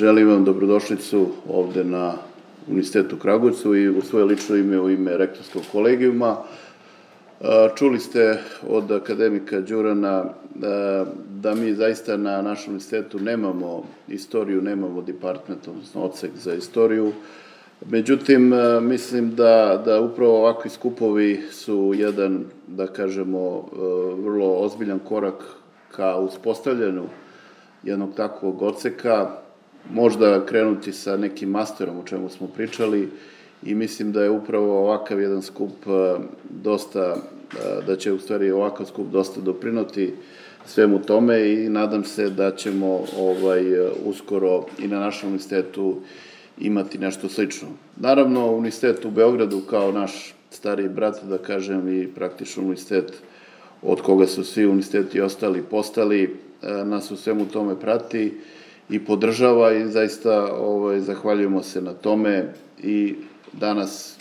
Želim vam dobrodošlicu ovde na Univerzitetu u Kragujevcu i u svoje lično ime, u ime rektorskog kolegijuma. Čuli ste od akademika Đurana da mi zaista na našem univerzitetu nemamo istoriju, nemamo department, odnosno odsek za istoriju. Međutim, mislim da upravo ovakvi skupovi su jedan, da kažemo, vrlo ozbiljan korak ka uspostavljanju jednog takvog odseka, možda krenuti sa nekim masterom o čemu smo pričali i mislim da je upravo ovakav jedan skup dosta, da će u stvari ovakav skup dosta doprinoti svemu tome i nadam se da ćemo uskoro i na našem univerzitetu imati nešto slično. Naravno, Univerzitet u Beogradu kao naš stariji brat, da kažem, i praktično univerzitet od koga su svi univerziteti ostali postali, nas u svemu tome prati i podržava i zaista zahvaljujemo se na tome i danas,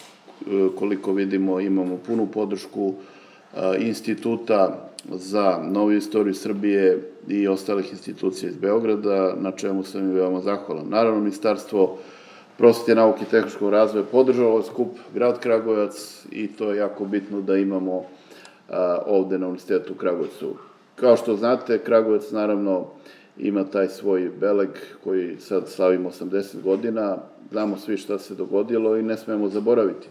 koliko vidimo, imamo punu podršku Instituta za noviju istoriju Srbije i ostalih institucija iz Beograda, na čemu sam i veoma zahvalan. Naravno, Ministarstvo prosvete, nauke i tehničkog razvoja podržava ovaj skup, grad Kragujevac, i to je jako bitno da imamo ovde na Univerzitetu u Kragujevcu. Kao što znate, Kragujevac naravno ima taj svoj beleg koji sad slavimo 80 godina, znamo svi šta se dogodilo i ne smemo zaboraviti.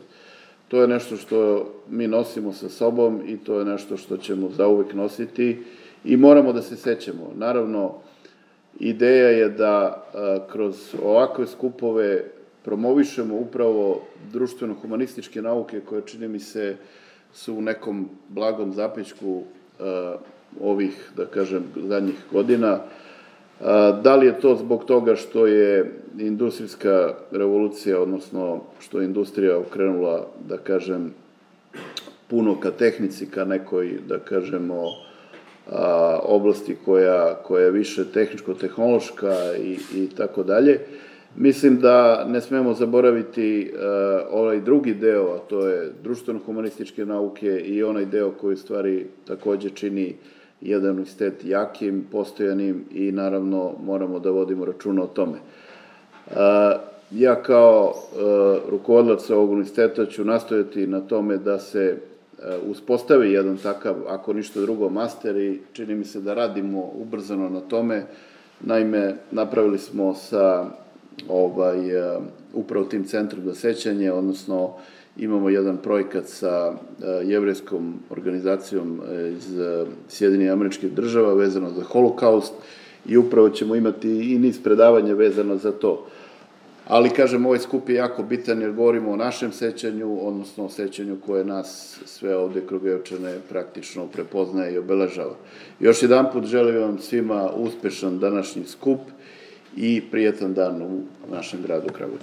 To je nešto što mi nosimo sa sobom i to je nešto što ćemo zauvek nositi i moramo da se sećamo. Naravno, ideja je da kroz ovakve skupove promovišemo upravo društveno-humanističke nauke koje, čini mi se, su u nekom blagom zapećku ovih, da kažem, zadnjih godina. Da li je to zbog toga što je industrijska revolucija, odnosno što je industrija okrenula, da kažem, puno ka tehnici, ka nekoj, da kažemo, oblasti koja je više tehničko-tehnološka i tako dalje. Mislim da ne smemo zaboraviti ovaj drugi deo, a to je društveno-humanističke nauke i onaj deo koji stvari takođe čini jedan univerzitet jakim, postojanim i naravno moramo da vodimo računa o tome. Ja kao rukovodilac ovog univerziteta ću nastojati na tome da se uspostavi jedan takav, ako ništa drugo, master i čini mi se da radimo ubrzano na tome. Naime, napravili smo sa upravo tim centrom za sećanje, odnosno imamo jedan projekat sa jevrejskom organizacijom iz Sjedinjenih Američkih Država vezano za Holokaust i upravo ćemo imati i niz predavanja vezano za to. Ali, kažem, ovaj skup je jako bitan jer govorimo o našem sećanju, odnosno o sećanju koje nas sve ovde Kragujevčane praktično prepoznaje i obeležava. Još jedan put želim vam svima uspešan današnji skup i prijetan dan u našem gradu Kragujevcu.